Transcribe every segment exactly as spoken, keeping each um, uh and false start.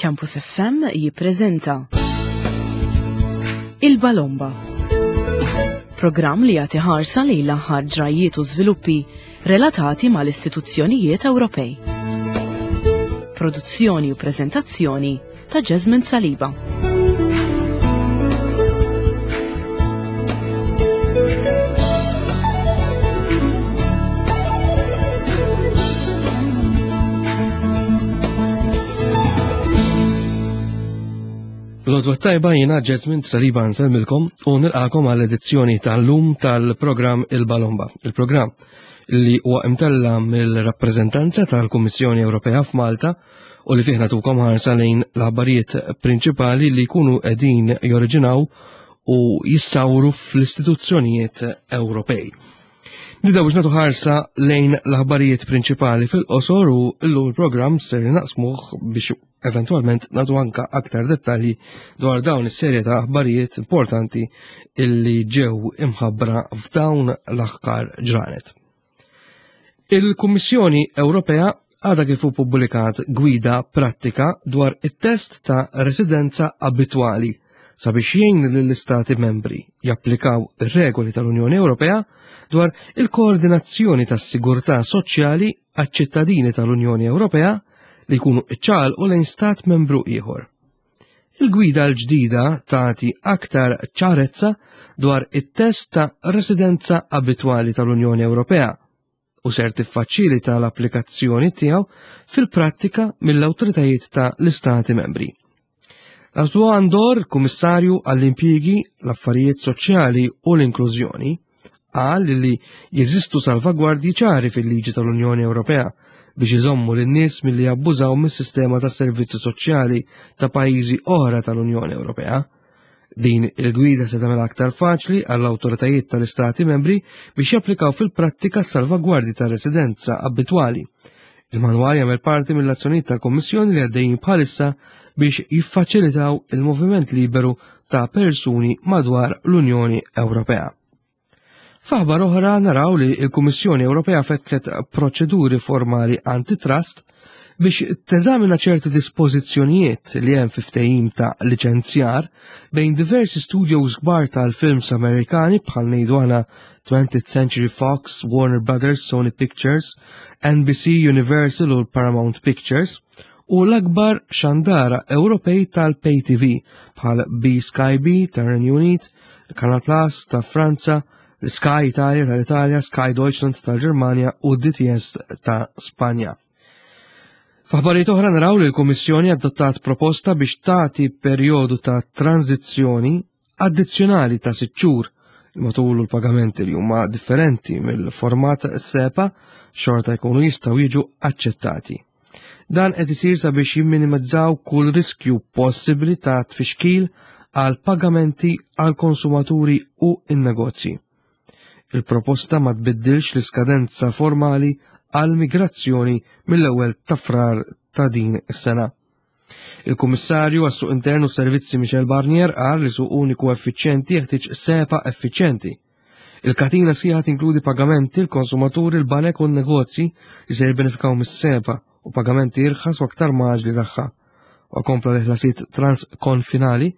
Campus F M jippreżenta Il-Balomba. Programm li jagħti ħarsa lejn l-aħħar ġrajiet u żviluppi relatati mal-istituzzjonijiet Ewropej. Produzzjoni u preżentazzjoni ta' Jasmine Saliba. L-għodwa t-tajba, jiena Jasmine Saliba nsellmilkom u nilqagħkom għall edizzjoni tal-lum tal-programm Il-Balomba. Il-programm li huwa imtella mill-rappreżentanza tal-Kummissjoni Ewropea f'Malta u li fih nagħtukom ħarsa lejn l-aħbarijiet prinċipali li jkunu qegħdin joriġinaw u jissawru fl-istituzzjonijiet Ewropej. Nibdew biex nagħtu ħarsa lejn l-aħbarijiet prinċipali fil-qosor u llum il-programm ser naqsmuh biex eventualment nagħtu anka aktar dettalji dwar dawn is-serje ta' aħbarijiet importanti illi ġew imħabbra f'dawn l-aħħar ġranet. Il-Kummissjoni Ewropea għadha kif pubblikat gwida prattika dwar it-test ta' residenza abitwali sabiex jgħin lill-istati membri japplikaw ir-regoli tal-Unjoni Ewropea dwar il-koordinazzjoni tas-sigurtà soċjali għaċ-ċittadini tal-Unjoni Ewropea li jkunu iċċaqalqu lejn stat membru ieħor. Il-gwida l-ġdida tagħti aktar ċarezza dwar it-test ta' residenza abitwali tal-Unjoni Ewropea u ser tiffaċilita l-applikazzjoni tiegħu fil-prattika mill-awtoritajiet ta' l-istati membri. Laszlo Andor, kummissarju għall-impjiegi, l-affarijiet soċjali u l-inklużjoni, qal li jeżistu salvagwardji ċari fil-liġi tal-Unjoni Ewropea biex iżommu lin-nies milli jabbużaw mis-sistema tas servizzi soċjali ta' pajjiżi oħra tal-Unjoni Ewropea. Din il-gwida se tagħmel aktar faċli għall-awtoritajiet tal-istati membri biex japplikaw fil-prattika salvagwardji ta' residenza abitwali. Il-manwal jagħmel parti mill-azzjonijiet tal-Kommissjoni li għaddejjin bħalissa biex jiffaċilitaw il-moviment liberu ta' persuni madwar l-Unjoni Ewropea. F'aħbar oħra naraw li l-Kummissjoni Ewropea fetħet proċeduri formali antitrust biex teżamina ċerti dispożizzjonijiet li hemm fi ftehim ta' liċenzjar bejn diversi studios kbar tal-films Amerikani, bħal ngħidu aħna twentieth Century Fox, Warner Brothers, Sony Pictures, N B C Universal u Paramount Pictures, u l-akbar xandara Ewropej tal-Pay T V bħal B Sky B tar-Renju Unit, Canal Plus ta' Franza, Sky Italia tal-Italja, Sky Deutschland tal-Ġermanja u D T S ta' Spanja. F'aħbarijiet oħra naraw li l-Kummissjoni adottat proposta biex tagħti perjodu ta' tranzizzjoni addizzjonali ta' sitt xhur matul l-pagamenti li huma differenti mill-format SEPA xorta jkunu jistgħu jiġu aċċettati. Dan qed isir sabiex jimminimizzaw kull riskju possibbli ta' tfixkil għal pagamenti għal konsumaturi u in-negozji. Il-proposta ma tbiddilx l-iskadenza formali għal migrazzjoni mill-ewwel ta' Frar ta' din is-sena. Il-Kummissarju għas-Suq Internu Servizzi Michel Barnier qal li suq uniku effiċjenti jeħtieġ SEPA effiċjenti. Il-katina sħiħa tinkludi pagamenti, l-konsumaturi, l-banek u n-negozji li se jibbenefikaw mis-SEPA u pagamenti irħas u aktar mgħaġġla tagħha. U kompla li ħlasijiet transkonfinali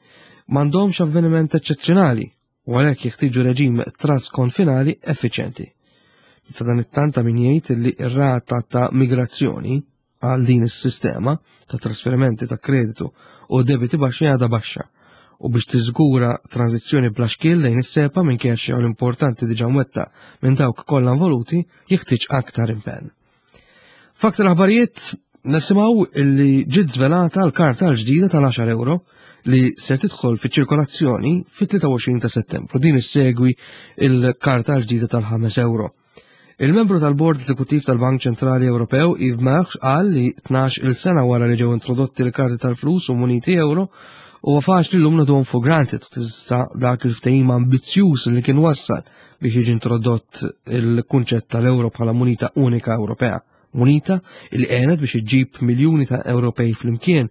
m'għandhomx avveniment eċċezzjonali u għalhekk jeħtieġu reġim transkonfinali effiċjenti. Sadanittant ta' min jgħid li r-rata ta' migrazzjoni għal din is-sistema ta' trasferimenti ta' kreditu u debiti baxxi għadha baxxa u biex tiżgura tranzizzjoni bla xkiel lejn is-SEPA, minkejja xogħol importanti diġà mwettaq minn dawk kollha involuti, jeħtieġ aktar impenn. F'aktar aħbarijiet nisimgħu illi ġiet żvelata l-karta l-ġdida tal-għaxar euro li se tidħol fiċ-ċirkolazzjoni fit-tlieta u għoxrin ta' Settembru. Din issegwi il-karta l-ġdida tal-ħames euro. Il-membru tal-Bord Eżekuttiv tal-Bank Ċentrali Ewropew Yves Mersch qal li tnax il sena wara li ġew introdotti l-karti tal-flus u muniti euro, huwa faċli llum neħduhom for granted u tista' dak il-ftehim ambizzjuż li kien wassal biex jiġi introdott il-kunċett tal-euro bħala munita unika Ewropea. Munita li għenet biex iġġib miljuni ta' Ewropej flimkien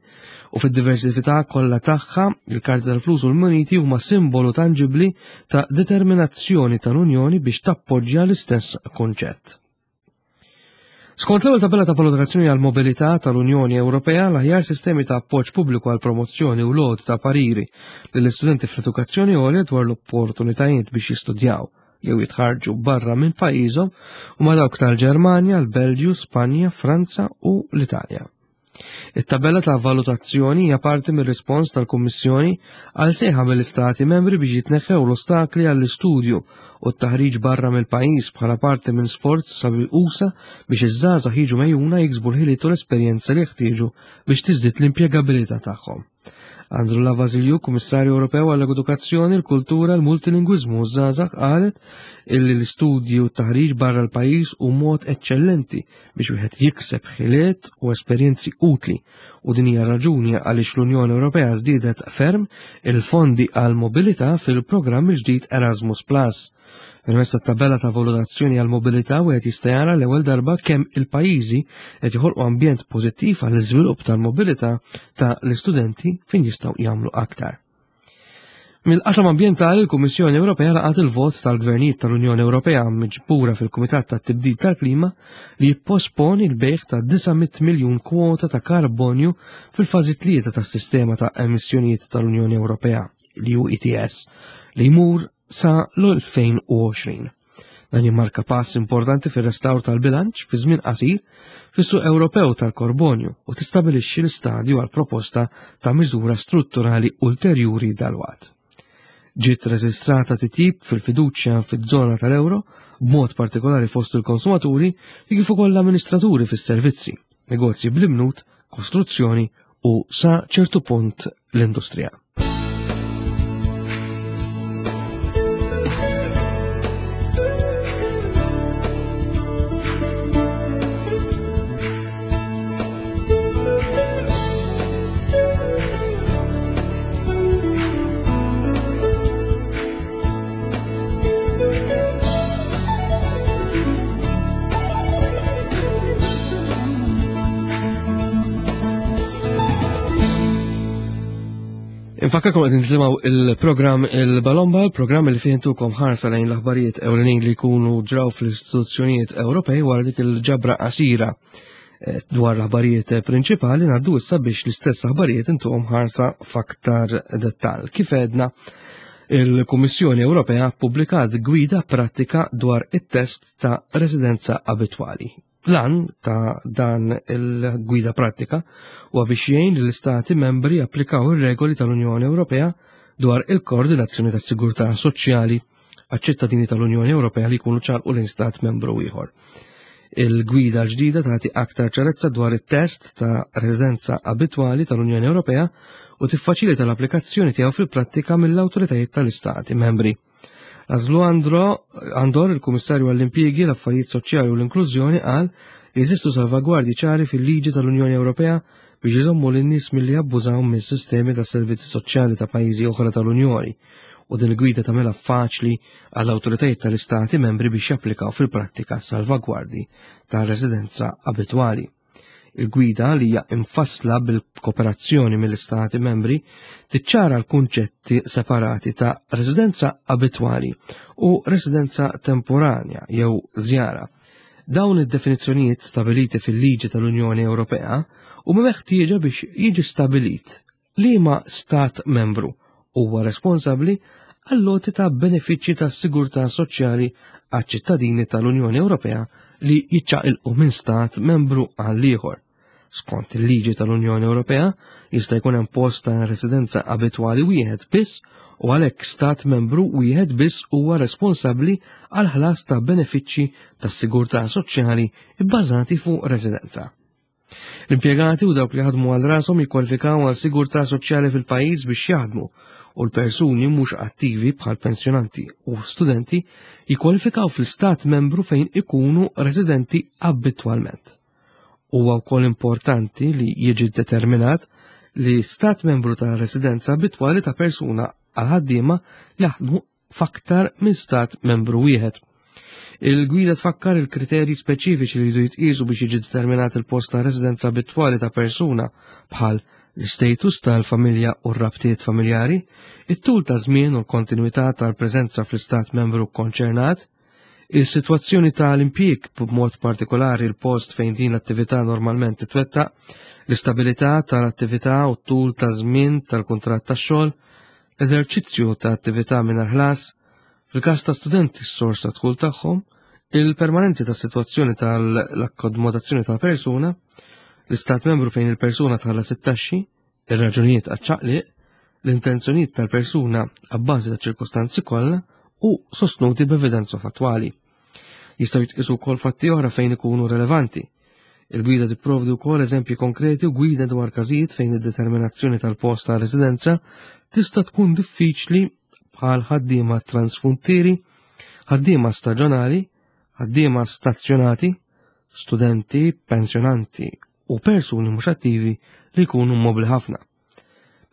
u fid-diversità kollha tagħha, il-karti tal-flus u l-muniti huma simbolu tanġibli ta' determinazzjoni tal-Unjoni biex tappoġġja l-istess konċett. Skont l-ewwel tabella ta' valutazzjoni għal mobilità tal-Unjoni Ewropea, l-aħjar sistemi ta' appoġġ pubbliku għal promozzjoni u lod ta' pariri lill-istudenti fl-edukazzjoni għolja dwar l-opportunitajiet biex jistudjaw jew jitħarġu barra minn pajjiżhom huma dawk tal-Ġermanja, l-Belġju, Spanja, Franza u l-Italja. It-tabella ta' valutazzjoni hija parti mir-rispons tal-Kummissjoni għal sejħa mill-Istati membri biex jitneħħew l-ostakli għall-istudju u t-taħriġ barra mill-pajjiż bħala parti minn sforz sabi usa biex iż-żgħażagħ jiġu mejjuna jiksbu l-ħiliet u l-esperjenza li jeħtieġu biex tiżdied l-impjegabilità tagħhom. Androulla Vassiliou, Kummissarju Ewropew għall-Edukazzjoni, l-Kultura, l-Multilingwiżmu u ż-żgħażagħ qalet illi l-istudji u t-taħriġ barra l-pajjiż hu mod eċċellenti biex wieħed jikseb ħiliet u esperjenzi utli u din hija raġuni għaliex l-Unjoni Ewropea żdiedet ferm il-fondi għal mobilità fil-programm il-ġdid Erasmus Plus. Permezz tat-tabella ta' valutazzjoni għal mobilità wieħed jista' jara l-ewwel darba kemm il-pajjiżi qed joħolqu ambjent pożittiv għall iżvilupp tal-mobilità ta' l-istudenti fejn jistgħu jagħmlu aktar. Mill-qasam ambjentali, il-Kummissjoni Ewropea laqat il-vot tal-Gvernijiet tal-Unjoni Ewropea miġbura fil-Kumitat tat-Tibdil tal-Klima li jipposponi l-bejgħ ta' disa' mitt miljun kwota ta' karbonju fil-fażi tlieta tas-sistema ta' emissjonijiet tal-Unjoni Ewropea, l-E U E T S, li jmur sa l-elfejn u għoxrin. Dan jimmarka pass importanti fir-restawr tal-bilanċ fi żmien qasir fis-suq Ewropew tal-karbonju u tistabilixxi l-istadju għal proposta ta' miżura strutturali ulterjuri dalwaqt. Ġiet reġistrata titjib fil-fiduċja fiż-żona tal-euro, b'mod partikolari fost il-konsumaturi li kif ukoll l-amministraturi fis-servizzi, negozji bl-imnut, kostruzzjoni u sa ċertu punt l-industrija. Infakkarkom qed nisimgħu il-programm Il-Balomba, il-programm li fih intukom ħarsa lejn l-aħbarijiet ewlenin li jkunu ġraw fl-istituzzjonijiet Ewropej wara dik il-ġabra qasira, eh, dwar l-aħbarijiet prinċipali ngħaddu issa biex l-istess aħbarijiet intuhom ħarsa f'aktar dettall. Kif għedna, il-Kummissjoni Ewropea ppubblikat gwida prattika dwar it-test ta' residenza abitwali. Lan ta' dan il-gwida pratika huwa biex jgħin lill-istati membri applikaw ir-regoli tal-Unjoni Ewropea dwar il-koordinazzjoni tas-sigurtà soċjali għaċ-ċittadini tal-Unjoni Ewropea li jkunu ċarqu l-istat membru ieħor. Il-gwida l-ġdida tagħti aktar ċarezza dwar it-test ta' residenza abitwali tal-Unjoni Ewropea u tiffaċilita l-applikazzjoni tiegħu fil-prattika mill-awtoritajiet tal-istati membri. Laszlo Andor, il-Kummissarju għall-Impjiegi, l-Affarijiet Soċjali u l-Inklużjoni, qal li jeżistu salvagwardji ċari fil-liġi tal-Unjoni Ewropea biex iżommu lin-nies milli jabbużaw mis-sistemi ta' servizzi soċjali ta' pajjiżi oħra tal-Unjoni, u din il-gwida tagħmilha faċli għall-awtoritajiet tal-istati membri biex japplikaw fil-prattika salvagwardji ta' residenza abitwali. Il-gwida li hija infassla bil-kooperazzjoni mill-istati membri tiċċara l-kunċetti separati ta' residenza abitwali u residenza temporanja jew żjara. Dawn id-definizzjonijiet stabiliti fil-liġi tal-Unjoni Ewropea huma meħtieġa biex jiġi stabilit liema stat membru huwa responsabbli għall-loti ta' benefiċċji ta' sigurtà soċjali għaċ-ċittadini tal-Unjoni Ewropea li jiċċaqilqu minn stat membru għal ieħor. Skont il-liġi tal-Unjoni Ewropea jista' jkun hemm post ta' residenza abitwali wieħed biss u għalhekk stat membru wieħed biss huwa responsabbli għal ħlas ta' benefiċċji tas-sigurtà soċjali bbażati fuq residenza. L-impjegati u dawk li ħadmu għal rashom jikkwalifikaw għal sigurtà soċjali fil-pajjiż biex jaħdmu u l-persuni mhux attivi bħal pensjonanti u studenti jikkwalifikaw fl-istat membru fejn ikunu residenti abitwalment. Huwa wkoll importanti li jiġi determinat li stat membru ta' residenza abitwali ta' persuna għal ħaddiema jaħdmu f'aktar minn stat membru wieħed. Il-gwida tfakkar il-kriterji speċifiċi li jridu jitqiesu biex jiġi determinat il-post ta' residenza abitwali ta' persuna bħal l-istatus tal-familja u r-rabtiet familjari, it-tul ta' żmien u l-kontinwità tal-preżenza fl-istat membru konċernat, Il-sitwazzjoni tal-impjieg, b'mod partikolari l-post fejn din l-attività normalment titwettaq, l-istabilità tal-attività u t-tul ta' żmien tal-kuntratt tax-xogħol, l-eżerċizzju ta' attività mingħajr ħlas, fil-każ ta' studenti s-sors ta' dħul tagħhom, il-permanenzi tas-sitwazzjoni tal-akkomodazzjoni ta' persuna, l-istat membru fejn il-persuna tħallas it-taxxi, ir-raġunijiet għaċ-ċaqliq, l-intenzjonijiet tal-persuna abbażi ta' ċirkostanzi kollha u sostnuti b'evidenza fattwali. Jistgħu jitqisu wkoll fatti oħra fejn ikunu relevanti. Il-gwida tipprovdi wkoll eżempji konkreti u gwida dwar każijiet fejn id-determinazzjoni tal-post ta' residenza tista' tkun diffiċli bħal ħaddiema transfrontieri, ħaddiema staġjonali, ħaddiema stazzjonati, studenti, pensjonanti u persuni mhux attivi li jkunu mobli ħafna.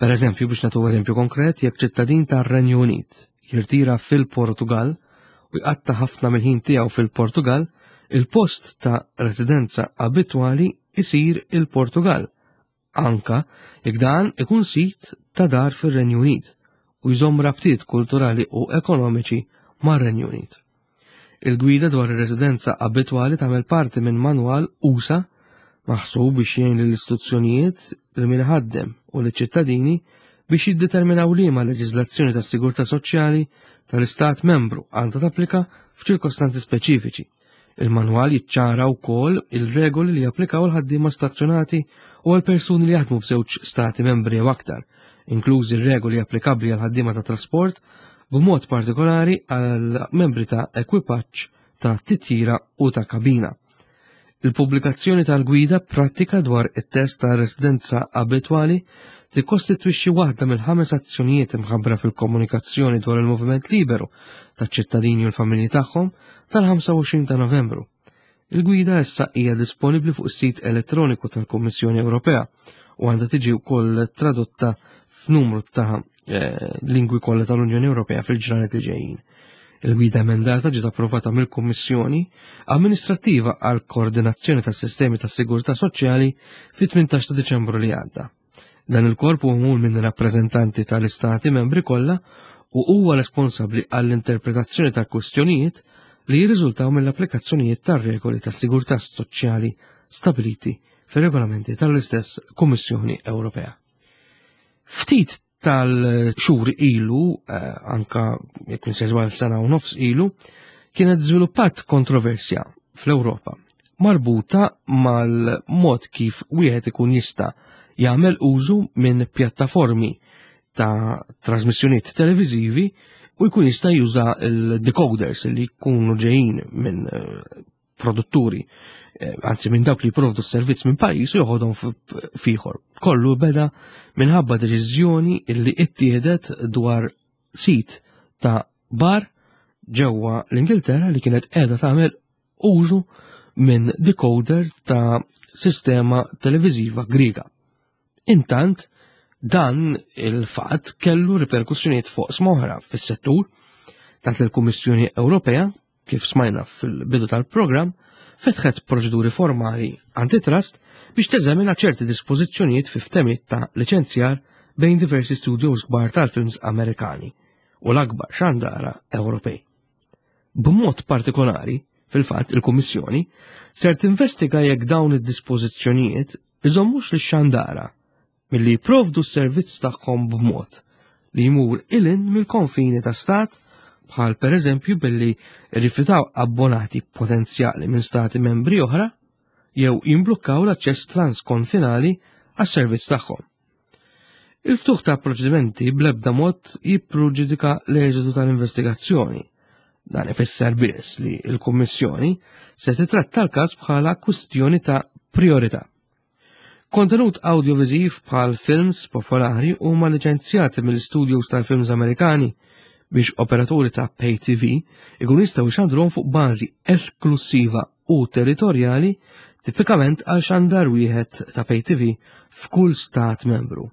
Per eżempju, biex nagħtu eżempju konkret, jekk ċittadin tar-Renju Unit jirtira fil-Portugal u jqatta ħafna mill-ħin tiegħu fil-Portugal, il-post ta' residenza abitwali isir il-Portugal, anka jekk dan ikun sit ta' dar fir-Renju Unit u jżomm rabtiet kulturali u ekonomiċi mar-Renju Unit. Il-gwida dwar ir-residenza abitwali tagħmel parti minn manwal usa maħsub biex jgħin lill-istituzzjonijiet, lil min iħaddem u liċ-ċittadini biex jiddeterminaw liema leġiżlazzjoni tas-sigurtà soċjali tal-istat membru għandha tapplika f'ċirkostanzi speċifiċi. Il-manwal jiċċara wkoll il-regoli li japplikaw għal ħaddiema stazzjonati u għal persuni li jaħdmu f'żewġ stati membri jew aktar, inklużi r-regoli applikabbli għal ħaddiema ta' trasport, b'mod partikolari għal membri ta' ekwipaġġ ta' titjira u ta' kabina. Il-pubblikazzjoni tal-gwida prattika dwar it-test ta' residenza abitwali tikkostitwixxi waħda mill-ħames azzjonijiet imħabbra fil-komunikazzjoni dwar il-moviment liberu taċ-ċittadini u l-familji tagħhom tal-ħamsa u għoxrin ta' Novembru. Il-gwida issa hija disponibbli fuq is-sit elettroniku tal-Kummissjoni Ewropea u għandha tiġi wkoll tradotta f'numru ta' eh, lingwi kollha tal-Unjoni Ewropea fil-ġranet li ġejjin. Il-gwida emendata ġiet approvata mill-Kummissjoni Amministrattiva għal Koordinazzjoni tas-Sistemi tas-Sigurtà Soċjali fit-tmintax ta' Diċembru li għadda. Dan il-korp hu magħmul minn rappreżentanti tal-istati membri kollha u huwa responsabbli għall-interpretazzjoni tal-kwistjonijiet li jirriżultaw mill-applikazzjonijiet tar-regoli tas-sigurtà soċjali stabiliti fir-regolamenti tal-istess Kummissjoni Ewropea. Ftit tal-xhur ilu, eh, anka jekk insejżu għal sena u nofs ilu, kienet żviluppat kontroversja fl-Ewropa marbuta mal-mod kif wieħed ikun jista' jagħmel użu minn pjattaformi ta' trasmissjonijiet televiżivi u jkun jista' juża l-decoders li jkunu ġejjin minn, eh, produtturi, eh, anzi minn dawk li jipprovdu s-servizz minn pajjiż u joħodhom f'ieħor. Kollu beda minħabba deċiżjoni li ittieħdet dwar sit ta' bar ġewwa l-Ingilterra li kienet qiegħda tagħmel użu minn decoder ta' sistema televiżiva Griega. Intant, dan il-fatt kellu riperkussjonijiet fuq smoħra fis-settur, tant li l-Kummissjoni Ewropea, kif smajna fil-bidu tal-programm, fetħet proċeduri formali antitrust biex teżamina ċerti dispożizzjonijiet fi ftehimiet ta' liċenzjar bejn diversi studios kbar tal-films Amerikani u l-akbar xandara Ewropej. B'mod partikolari, fil-fatt il-Kummissjoni ser tinvestiga jekk dawn id-dispożizzjonijiet iżommux lix-xandara milli jipprovdu s-servizz tagħhom b'mod li jmur ilin mill-konfini ta' stat, bħal per eżempju billi rrifjutaw abbonati potenzjali minn stati membri oħra jew jimblukkaw l-aċċess transkonfinali għas-servizz tagħhom. Il-ftuħ ta' proċedimenti bl-ebda mod jippreġudika l-eżitu tal-investigazzjoni. Dan ifisser biss li l-Kummissjoni se titratta l-każ bħala kwistjoni ta' priorità. Kontenut audiovisiv bħal films popolari huma liċenzjati mill-studios tal-films Amerikani biex operaturi ta' Pay T V ikun jistgħu jxandruhom fuq bażi esklusiva u territorjali, tipikament għal xandar wieħed ta' Pay T V f'kull stat membru.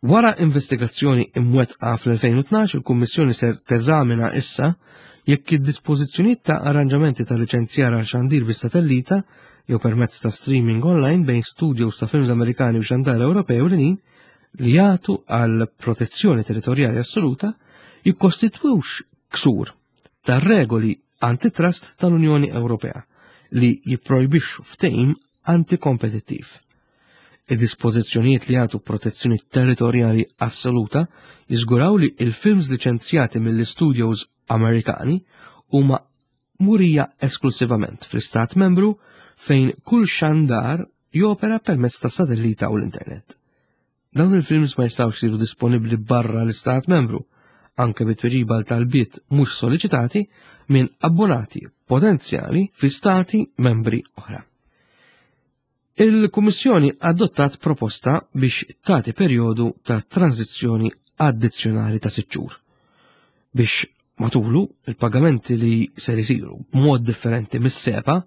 Wara investigazzjoni imwettqa fl-elfejn u tnax, il-Kummissjoni ser teżamina issa jekk id-dispożizzjonijiet ta' arranġamenti ta' liċenzjar għal xandir bis-satellita jew permezz ta' streaming online bejn studios ta' films Amerikani u xandar Ewropej u l-inin li jagħtu għal protezzjoni territorjali assoluta jikkostitwux ksur tar regoli antitrust tal-Unjoni Ewropea li jipprojbixxu ftehim antikompetittiv. Id-dispożizzjonijiet li jagħtu protezzjoni territorjali assoluta jiżguraw li il-films liċenzjati mill-studios Amerikani huma murija esklusivament fl-istat membru fejn kull xandar jopera permezz ta' satellita u l-internet. Dawn il-films ma jistgħux isiru disponibbli barra l-istat membru, anke bit-tweġiba għal talbiet mhux solleċitati minn abbonati potenzjali fi stati membri oħra. Il-Kummissjoni adottat proposta biex tagħti perjodu ta' tranzizzjoni addizzjonali ta' sitt xhur biex matulu il-pagamenti li ser isiru b'mod differenti mis-SEPA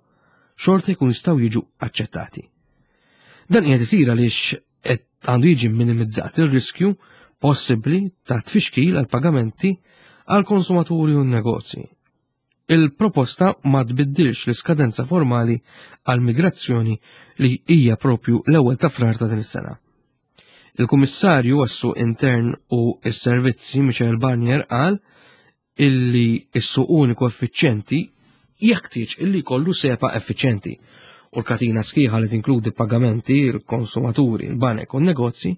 xorta jkun jistgħu jiġu aċċettati. Dan qiegħed isir għaliex qed għandu jiġi minimizzat ir-riskju possibbli ta' tfixkil għal pagamenti għal konsumaturi u negozji. Il-proposta ma tbiddilx l-iskadenza formali għal migrazzjoni li hija propju l-ewwel ta' Frar ta' din is-sena. Il-Kummissarju għas-Suq Intern u s-Servizzi Michel Barnier qal illi s-suq uniku effiċjenti jeħtieġ illi jkollu SEPA effiċjenti u l-katina sħiħa li tinkludi pagamenti, il-konsumaturi, il-banek u n-negozji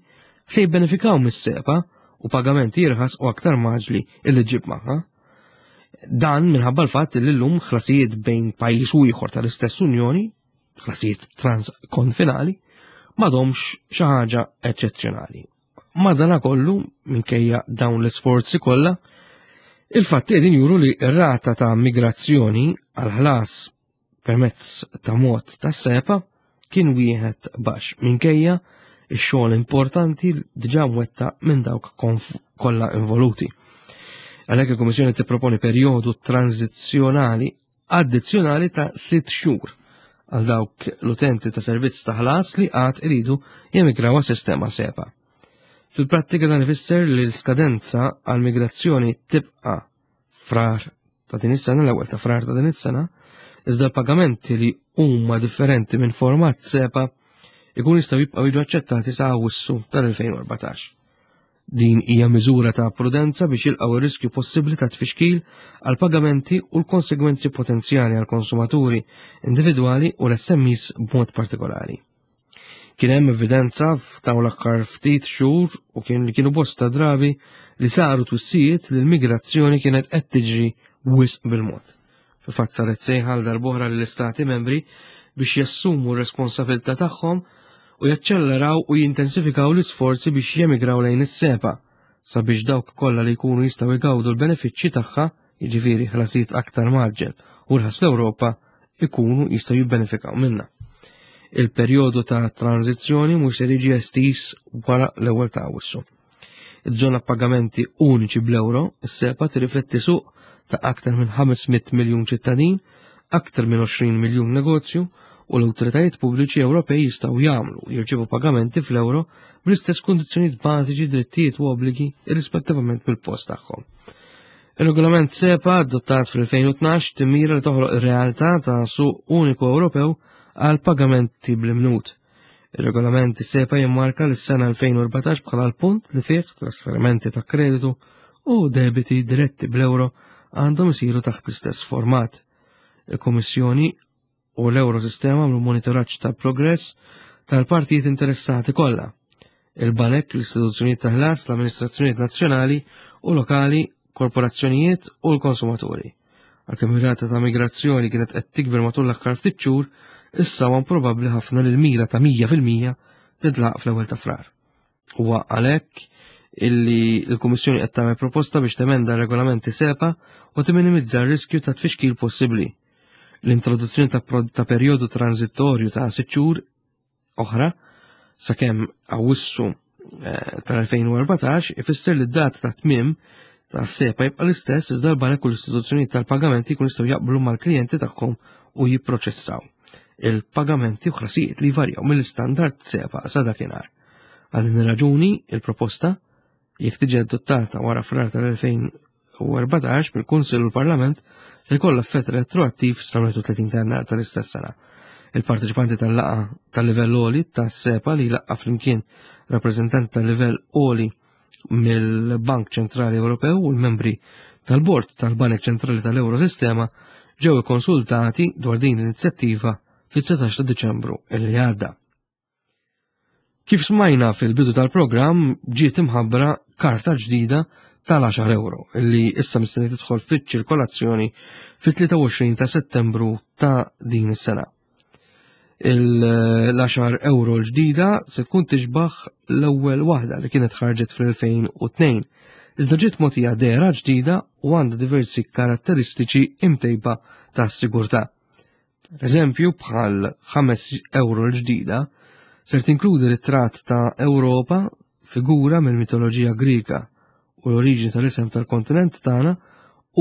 se jibbenefikaw mis-SEPA u pagamenti irħas u aktar mgħaġġli illi ġib magħha. Dan minħabba l-fatt li llum ħlasijiet bejn pajjiż u ieħor tal-istess Unjoni, ħlasijiet transkonfinali, m'għadhomx xi ħaġa eċċezzjonali. Madanakollu, minkejja dawn l-isforzi kollha, il-fatti qegħdin juru li r-rata ta' migrazzjoni għal ħlas permezz ta' mod ta' SEPA kien wieħed baxx minkejja ix-xogħol importanti diġà mwettaq minn dawk kollha involuti. Għalhekk il-Kummissjoni tipproponi perjodu tranzizzjonali addizzjonali ta' sitt xhur għal dawk l-utenti ta' servizz ta' ħlas li għad iridu jemigraw għas-sistema SEPA. Fil-prattika dan ifisser li l-skadenza għal migrazzjoni tibqa' Frar ta' din is-sena, l-ewwel ta' Frar ta' din is-sena, iżda l-pagamenti li huma differenti minn format SEPA ikun jistgħu jibqgħu jiġu aċċettati sa Awwissu tal-elfejn u erbatax. Din hija miżura ta' prudenza biex jilqgħu ir-riskju possibbli ta' tfixkil għal pagamenti u l-konsegwenzi potenzjali għal konsumaturi individwali u l-S M Es b'mod partikolari. Kien hemm evidenza f'dawn l-aħħar ftit xhur u kien li kienu bosta drabi li saru twissijiet li l-migrazzjoni kienet qed tiġri wisq bil-mod. Fil-fatt saret sejħa għal darb'oħra lill-istati membri biex jassumu r-responsabilità tagħhom u jaċċelleraw u jintensifikaw l-isforzi biex jemigraw lejn is-SEPA sabiex dawk kollha li jkunu jistgħu jgawdu l-benefiċċji tagħha, jiġifieri ħlasijiet aktar mgħaġġel u rħas fl-Ewropa, ikunu jistgħu jibbenefikaw minnha. Il-perjodu ta' tranzizzjoni mhux se jiġi estiż wara l-ewwel ta' Awwissu. Iż-żona pagamenti uniċi bl-euro, is-SEPA tirrifletti suq ta' aktar minn ħames mitt miljun ċittadin, aktar minn għoxrin miljun negozju, u l-awtoritajiet pubbliċi Ewropej jistgħu jagħmlu u jirċievu pagamenti fl-euro bl-istess kundizzjonijiet bażiċi, drittijiet u obbligi irrispettivament mill-post tagħhom. Ir-regolament SEPA adottat fl-elfejn u tnax timmira li toħloq ir-realtà ta' suq uniku Ewropew għal pagamenti bl-imnut. Ir-regolament SEPA jimmarka l-sena elfejn u erbatax bħala l-punt li fih trasferimenti ta' kreditu u debiti diretti bl-euro għandhom isiru taħt l-istess format. Il-Kummissjoni u l-Eurosistema għamlu monitoraġġ tal-progress tal-partijiet interessati kollha. Il-banek, l-istituzzjonijiet ta' ħlas, l-amministrazzjonijiet nazzjonali u lokali, korporazzjonijiet u l-konsumaturi. Għalkemm ir-rata ta' migrazzjoni kienet qed tikber matul l-aħħar ftit xhur, issa huwa probabbli ħafna li l-mira ta' mija fil-mija titlaq fl-ewwel ta' Frar. Huwa għalhekk illi l-Kummissjoni qed tagħmel proposta biex temenda r-regolamenti SEPA u timminimizza r-riskju ta' tfixkil possibbli. L-introduzzjoni ta' pro-, ta' perjodu transitorju ta' sitt xhur oħra sakemm Awwissu, eh, tal-elfejn u erbatax ifisser li d-data ta' tmiem ta' SEPA jibqa' l-istess iżda l-banek u l-istituzzjonijiet tal-pagamenti jkunu jistgħu jaqblu mal-klijenti tagħhom u jipproċessaw il-pagamenti u ħlasijiet li jvarjaw mill-istandard SEPA sa dakinhar. Għal din ir-raġuni, il-proposta, jekk tiġi adottata wara Frar tal-elfejn u erbatax mill-Kunsill u l-Parlament, se jkollha effett retroattiv sa wieħed u tletin ta' Jannar tal-istess sena. Il-parteċipanti tal-laqgħa tal-livell għoli ta' SEPA li laqgħa flimkien rappreżentanti tal-livell għoli mill-Bank Ċentrali Ewropew u l-membri tal-Bord tal-Banek Ċentrali tal-Eurosistema ġew ikkonsultati dwar din l-inizjattiva fit-dsatax ta' Diċembru li għadda. Kif smajna fil-bidu tal-programm, ġiet imħabbra karta ġdida tal-għaxar euro li issa mistenni tidħol fiċ-ċirkolazzjoni fit-tlieta u għoxrin ta' Settembru ta' din is-sena. L-għaxar euro l-ġdida se tkun tixbaħ l-ewwel waħda li kienet ħarġet fl-elfejn u tnejn, iżda ġiet mogħtija dehra ġdida u għandha diversi karatteristiċi imtejba ta' sigurtà. Per eżempju, bħal ħames euro l-ġdida ser tinkludi ritratt ta' Ewropa, figura mill-mitoloġija Grika u l-oriġini tal-isem tal-kontinent tagħna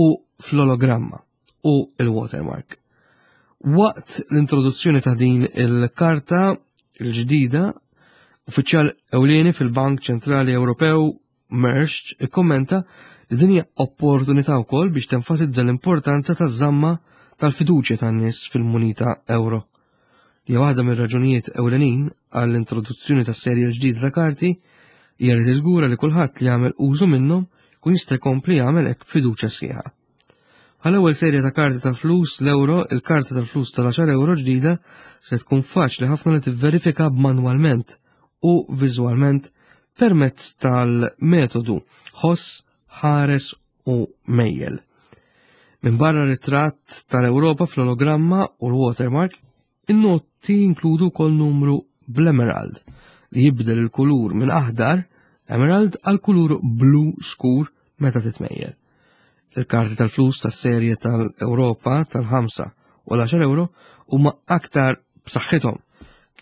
u fl-ologramma u il-watermark. Waqt l-introduzzjoni ta' din il-karta l-ġdida, uffiċjal ewlieni fil-Bank Ċentrali Ewropew Mersch ikkommenta li din hija opportunità wkoll biex tenfasizza l-importanza taż-żamma tal-fiduċja tan-nies fil-munita euro. Li hija waħda mir-raġunijiet ewlenin għall-introduzzjoni tas-serje l-ġdida ta' karti hija li tiżgura li kulħadd li jagħmel użu minnhom kun jista' jkompli jagħmel hekk b'fiduċja sħiħa. Għal-ewwel serje ta' karti ta' flus l-euro, il-karta tal-flus tal-għaxar euro ġdida se tkun faċli ħafna li tivverifika b'manwalment u viżwalment permezz tal-metodu ħoss, ħares u mejjel. Minn barra ritratt tal-Ewropa fl-ologramma u l-watermark, in-notti jinkludu wkoll numru bl-emerald li jibdel il-kulur minn aħdar emerald għal kulur blu skur meta titmejjel. Il-karti tal-flus tas-serje tal-Ewropa tal-ħamsa u l-għaxar euro huma aktar b'saħħithom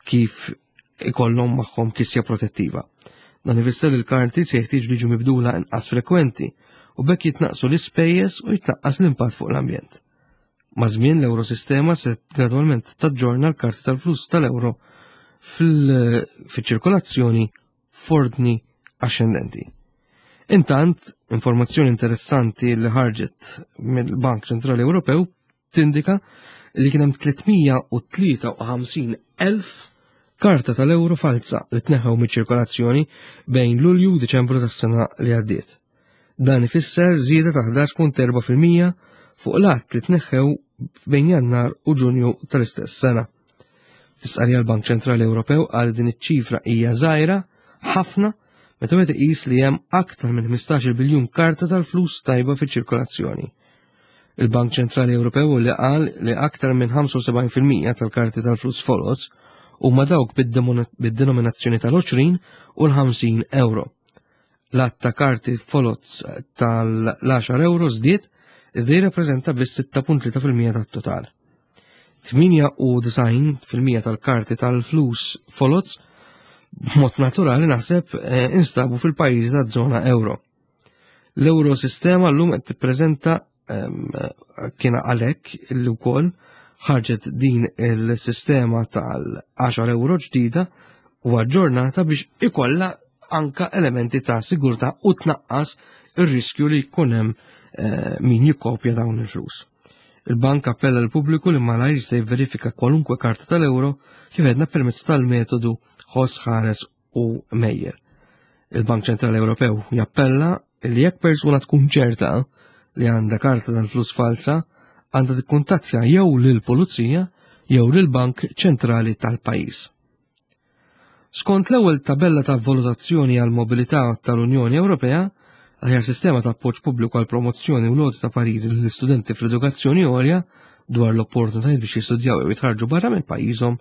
kif ikollhom magħhom kisja protettiva. Dan ifisser li l-karti se jeħtieġu li jiġu mibdula inqas frekwenti u bekk jitnaqsu l-ispejjeż u jitnaqqas l-impatt fuq l-ambjent. Ma' żmien l-Eurosistema se gradwalment taġġorna l-karti tal-flus tal-euro fil-, fil-ċirkolazzjoni f'ordni ascendenti. Intant, informazzjoni interessanti li ħarġet mill-Bank Ċentrali Ewropew tindika li kien hemm tlietmija u tlieta u ħamsin elf karta tal-euro falsa li tneħħew miċ-ċirkolazzjoni bejn Lulju u Diċembru tas-sena li għaddiet. Dan ifisser żieda ta' ħdax punt erba' fil-mija fuq l-att li tneħħew bejn Jannar u Ġunju tal-istess sena. Fis-qari l-Bank Ċentrali Ewropew qal din iċ-ċifra hija żgħira ħafna meta wieħed iqis li hemm aktar minn ħmistax-il biljun karta tal-flus tajba fiċ-ċirkolazzjoni. Il-Bank Ċentrali Ewropew li qal li aktar minn ħamsa u sebgħin fil-mija tal-karti tal-flus foloz huma dawk bid-demona-, bid-denominazzjoni tal-għoxrin u l-ħamsin euro. L-att ta' karti foloz tal-għaxar euro żdied iżda jirrappreżenta biss sitta punt tlieta fil-mija tat-total. Tminja u disgħin fil-mija tal-karti tal-flus foloz b'mod naturali naħseb, eh, instabu fil-pajjiżi taż-żona euro. L-Eurosistema llum qed tippreżenta, ehm, kien għalhekk li wkoll ħarġet din il-sistema tal-għaxar euro ġdida u aġġornata biex ikollha anka elementi ta' sigurtà u tnaqqas ir-riskju li jkun hemm, eh, min jikkopja dawn il-flus. Il-bank appella l-pubbliku li malajr jista' jivverifika kwalunkwe karta tal-euro kif għedna permezz tal-metodu ħoss, ħares u mejjel. Il-Bank Ċentrali Ewropew jappella li jekk persuna tkun ċerta li għandha karta tal-flus falsa, għandha tikkuntattja jew lill-Pulizija jew lill-Bank Ċentrali tal-pajjiż. Skont l-ewwel tabella ta' valutazzjoni għal mobilità tal-Unjoni Ewropea, aħjar sistema ta' appoġġ pubbliku għal promozzjoni u loti ta' pariri lill-istudenti fl-edukazzjoni għolja dwar l-opportunitajiet biex jistudjaw jew jitħarġu barra minn pajjiżhom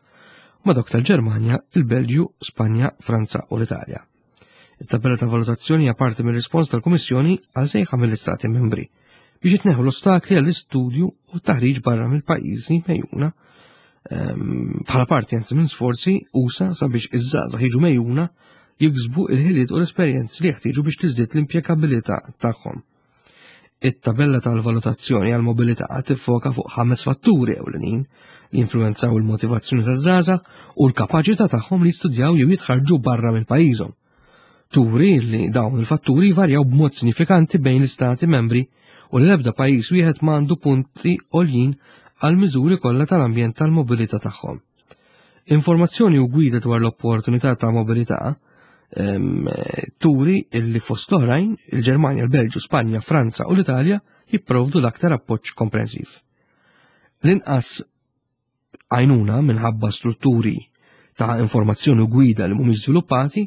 ma' dawk tal-Ġermanja, il-Belġju, Spanja, Franza u l-Italja. It-tabella ta' valutazzjoni hija parti mir-rispons tal-Kummissjoni għal sejħa mill-Istati Membri biex jitneħħu l-ostakli għall-istudju u t-taħriġ barra mill-pajjiżi mejjuna, ehm, bħala parti anzi minn sforzi usa sabiex iż-żgħażagħ jiġu mejjuna jiksbu il-ħiliet u l-esperjenzi li jeħtieġu biex tiżdied l-impjegabilità tagħhom. It-tabella tal-valutazzjoni għall-mobilità tiffoka fuq ħames fatturi ewlenin li jinfluwenzaw il-motivazzjoni taż-żgħażagħ u l-kapaċità tagħhom li jistudjaw jew jitħarġu barra minn pajjiżhom. Turi li dawn il-fatturi jvarjaw b'mod sinifikanti bejn l-istati membri u li l-ebda pajjiż wieħed m'għandu punti għoljin għal miżuri kollha tal-ambjent tal-mobilità tagħhom. Informazzjoni u gwida dwar l-opportunità ta' mobilità, ehm, turi illi fost l-oħrajn il-Ġermanja, il-Belġju, Spanja, Franza u l-Italja jipprovdu l-aktar appoġġ komprensiv. L-inqas għajnuna minħabba strutturi ta' informazzjoni u gwida li mhumiex żviluppati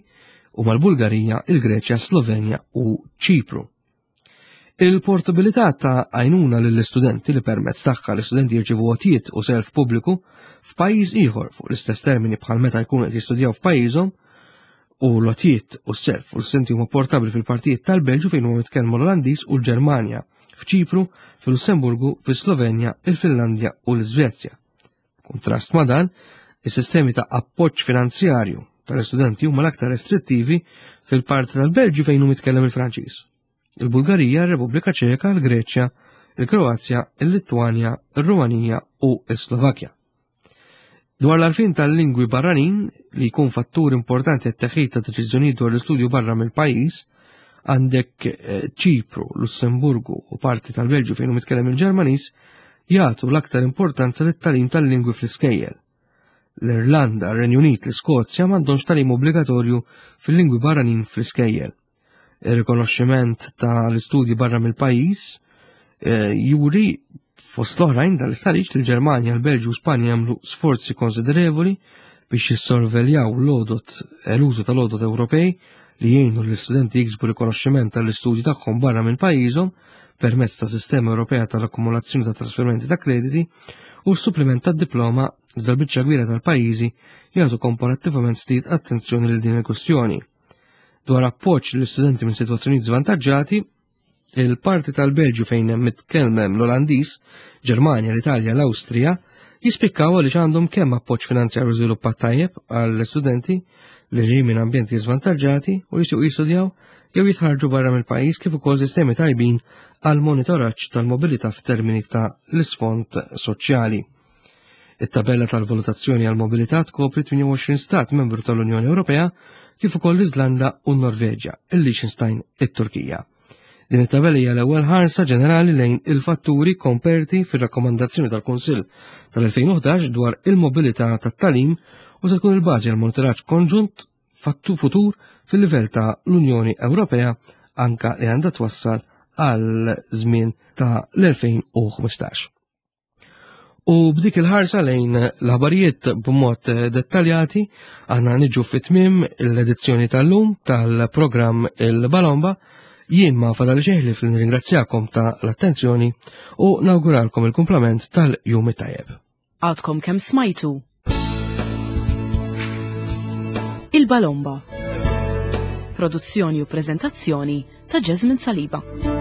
huma l-Bulgarija, il-Greċja, Slovenja u Ċipru. Il-portabilità ta' għajnuna lill-istudenti li permezz tagħha l-istudenti jirċievu għotjiet u self pubbliku f'pajjiż ieħor fuq l-istess termini bħal meta jkunu qed jistudjaw f'pajjiżhom u l-għotjiet u s-self u l-istudenti huma portabbli fil-partijiet tal-Belġju fejn huma jitkellmu l-Olandiż u l-Ġermanja, f'Ċipru, fil-Lussemburgu, fis-Slovenja, il-Finlandja u l-Iżvezja. Kontrast ma' dan, is-sistemi ta' appoġġ finanzjarju tal-istudenti huma l-aktar restrittivi fil-parti tal-Belġju fejn hu mitkellem il-Franċiż. Il-Bulgarija, ir-Repubblika Ċeka, il-Greċja, il-Kroazja, il-Litwanja, ir-Rumanija u l-Slovakkja. Dwar l-għarfien tal-lingwi barranin li jkun fattur importanti għat-teħid ta' deċiżjonijiet dwar l-istudju barra mill-pajjiż, għandek Ċipru, Lussemburgu u parti tal-Belġju fejn hu mitkellem il-Ġermaniż jagħtu l-aktar importanza lit-tagħlim tal-lingwi fl-iskejjel. L-Irlanda, ir-Renju Unit, l-Iskozja m'għandhomx tagħlim obbligatorju fil-lingwi barranin fl-iskejjel. Ir-rikonoxximent tal-istudji barra mill-pajjiż juri fost l-oħrajn dal-istħarriġ li l-Ġermanja, l-Belġju u Spanja jagħmlu sforzi konsiderevoli biex jissorveljaw l-għodot l-użu tal-għodot Ewropej li jgħinu l-istudenti jiksbu rikonoxximent tal-istudji tagħhom barra minn pajjiżhom permezz ta' sistema Ewropea tal-akkumulazzjoni ta' trasferimenti ta' krediti u s-suppliment tad-diploma iżda l-biċċa kbira tal-pajjiżi jagħtu komparattivament ftit attenzjoni lil din il-kwistjoni. Dwar appoġġ lill-istudenti minn sitwazzjonijiet żvantaġġati, il-parti tal-Belġju fejn hemm mitkellem l-Olandiż, Ġermanja, l-Italja, l-Awstrija, jispikkaw għaliex għandhom kemm appoġġ finanzjarju żviluppat tajjeb għall-istudenti li ġejjin minn ambjenti żvantaġġati u jistgħu jistudjaw jew jitħarġu barra mill-pajjiż kif ukoll sistemi tajbin għal monitoraġġ tal-mobilità f'termini ta' l-isfond soċjali. It-tabella tal-valutazzjoni għal mobilità tkopri tmienja u għoxrin stat membru tal-Unjoni Ewropea kif ukoll l-Iżlanda u n-Norveġja, il-Liechtenstein, it-Turkija. Din it-tabella hija l-ewwel ħarsa ġenerali lejn il-fatturi komperti fir-rakkomandazzjoni tal-Kunsill tal-elfejn u ħdax dwar il-mobilità tat-tagħlim u se tkun il-bażi għal monitoraġġ konġunt fattu futur fil-livell ta' l-Unjoni Ewropea anka li għandha twassal għal żmien ta' l-elfejn u ħmistax. U b'dik il-ħarsa lejn l-aħbarijiet b'mod dettaljati, aħna niġu fit-tmiem l-edizzjoni tal-lum tal-programm Il-Balomba. Jien ma fadal xejn li nirringrazzjakom ta' l-attenzjoni u nawguralkom il-kumplament tal-jum it-tajjeb. Għadkom kemm smajtu Il-Balomba. Produzzjoni u preżentazzjoni ta' Jasmine Saliba.